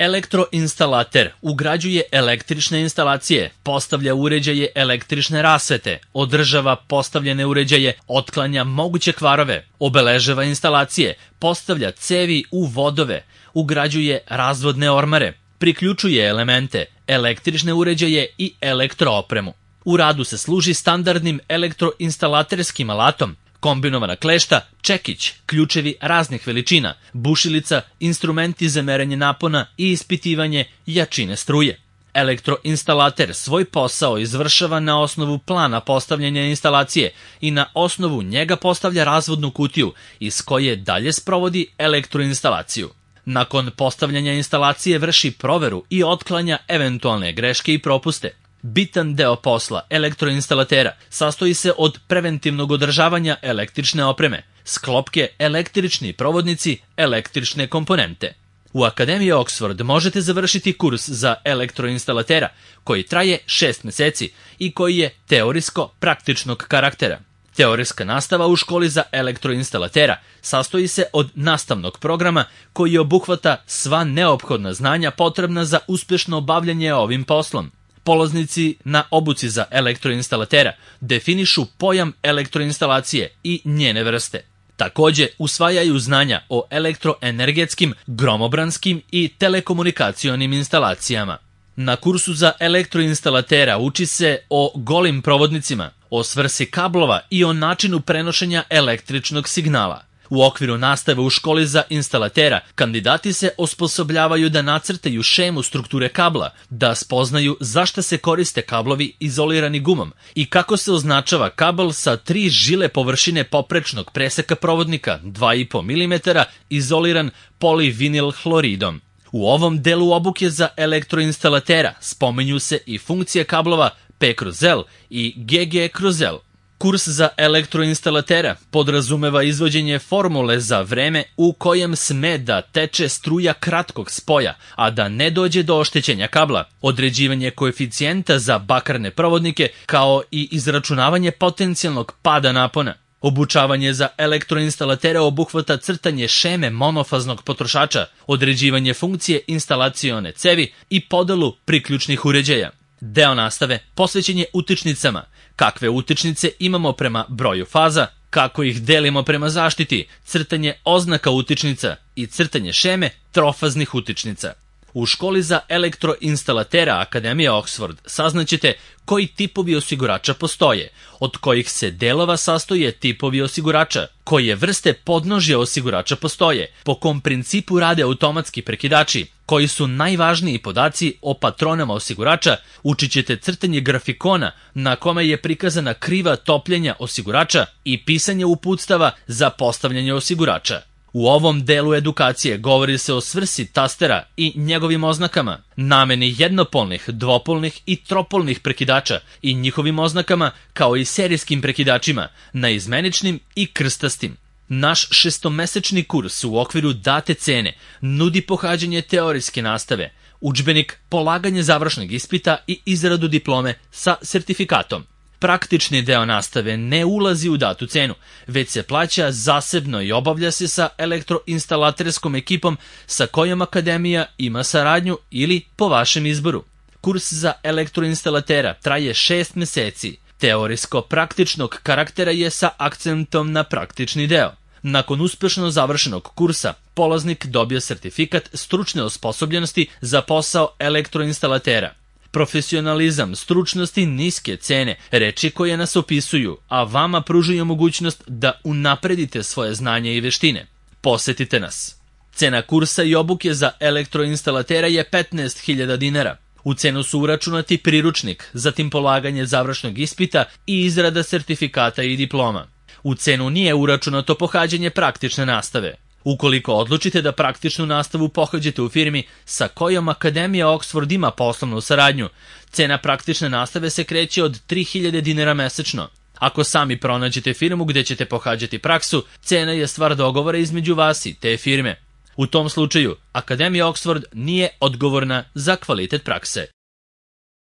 Elektroinstalater ugrađuje električne instalacije, postavlja uređaje električne rasvete, održava postavljene uređaje, otklanja moguće kvarove, obeležava instalacije, postavlja cevi u vodove, ugrađuje razvodne ormare, priključuje elemente, električne uređaje i elektroopremu. U radu se služi standardnim elektroinstalaterskim alatom, kombinovana klešta, čekić, ključevi raznih veličina, bušilica, instrumenti za merenje napona i ispitivanje jačine struje. Elektroinstalater svoj posao izvršava na osnovu plana postavljanja instalacije i na osnovu njega postavlja razvodnu kutiju iz koje dalje sprovodi elektroinstalaciju. Nakon postavljanja instalacije vrši proveru i otklanja eventualne greške i propuste. Bitan deo posla elektroinstalatera sastoji se od preventivnog održavanja električne opreme, sklopke, električni provodnici, električne komponente. U Akademiji Oxford možete završiti kurs za elektroinstalatera koji traje 6 meseci i koji je teorijsko-praktičnog karaktera. Teorijska nastava u školi za elektroinstalatera sastoji se od nastavnog programa koji obuhvata sva neophodna znanja potrebna za uspešno obavljanje ovim poslom. Polaznici na obuci za elektroinstalatera definišu pojam elektroinstalacije i njene vrste. Takođe, usvajaju znanja o elektroenergetskim, gromobranskim i telekomunikacionim instalacijama. Na kursu za elektroinstalatera uči se o golim provodnicima, o svrsi kablova i o načinu prenošenja električnog signala. U okviru nastave u školi za instalatera kandidati se osposobljavaju da nacrtaju šemu strukture kabla, da spoznaju zašto se koriste kablovi izolirani gumom i kako se označava kabel sa 3 žile površine poprečnog preseka provodnika 2,5 mm izoliran polivinil hloridom. U ovom delu obuke za elektroinstalatera spominju se i funkcije kablova P/L i GG/L. Kurs za elektroinstalatera podrazumeva izvođenje formule za vreme u kojem sme da teče struja kratkog spoja, a da ne dođe do oštećenja kabla, određivanje koeficijenta za bakarne provodnike, kao i izračunavanje potencijalnog pada napona. Obučavanje za elektroinstalatera obuhvata crtanje šeme monofaznog potrošača, određivanje funkcije instalacione cevi i podelu priključnih uređaja. Deo nastave posvećen je utičnicama, kakve utičnice imamo prema broju faza, kako ih delimo prema zaštiti, crtanje oznaka utičnica i crtanje šeme trofaznih utičnica. U školi za elektroinstalatera Akademije Oxford saznaćete koji tipovi osigurača postoje, od kojih se delova sastoje tipovi osigurača, koje vrste podnožja osigurača postoje, po kom principu rade automatski prekidači, koji su najvažniji podaci o patronama osigurača, učit ćete crtanje grafikona na kome je prikazana kriva topljenja osigurača i pisanje uputstava za postavljanje osigurača. U ovom delu edukacije govori se o svrsi tastera i njegovim oznakama, nameni jednopolnih, dvopolnih i tropolnih prekidača i njihovim oznakama, kao i serijskim prekidačima, naizmeničnim i krstastim. Naš 6-mesečni kurs u okviru date cene nudi pohađanje teorijske nastave, udžbenik, polaganje završnog ispita i izradu diplome sa sertifikatom. Praktični deo nastave ne ulazi u datu cenu, već se plaća zasebno i obavlja se sa elektroinstalaterskom ekipom sa kojom Akademija ima saradnju ili po vašem izboru. Kurs za elektroinstalatera traje 6 meseci. Teorijsko-praktičnog karaktera je sa akcentom na praktični deo. Nakon uspešno završenog kursa, polaznik dobije sertifikat stručne osposobljenosti za posao elektroinstalatera. Profesionalizam, stručnost i niske cene, reči koje nas opisuju, a vama pružaju mogućnost da unapredite svoje znanje i veštine. Posetite nas. Cena kursa i obuke za elektroinstalatera je 15.000 dinara. U cenu su uračunati priručnik, zatim polaganje završnog ispita i izrada sertifikata i diploma. U cenu nije uračunato pohađanje praktične nastave. Ukoliko odlučite da praktičnu nastavu pohađate u firmi sa kojom Akademija Oxford ima poslovnu saradnju, cena praktične nastave se kreće od 3.000 dinara mesečno. Ako sami pronađete firmu gde ćete pohađati praksu, cena je stvar dogovora između vas i te firme. U tom slučaju, Akademija Oxford nije odgovorna za kvalitet prakse.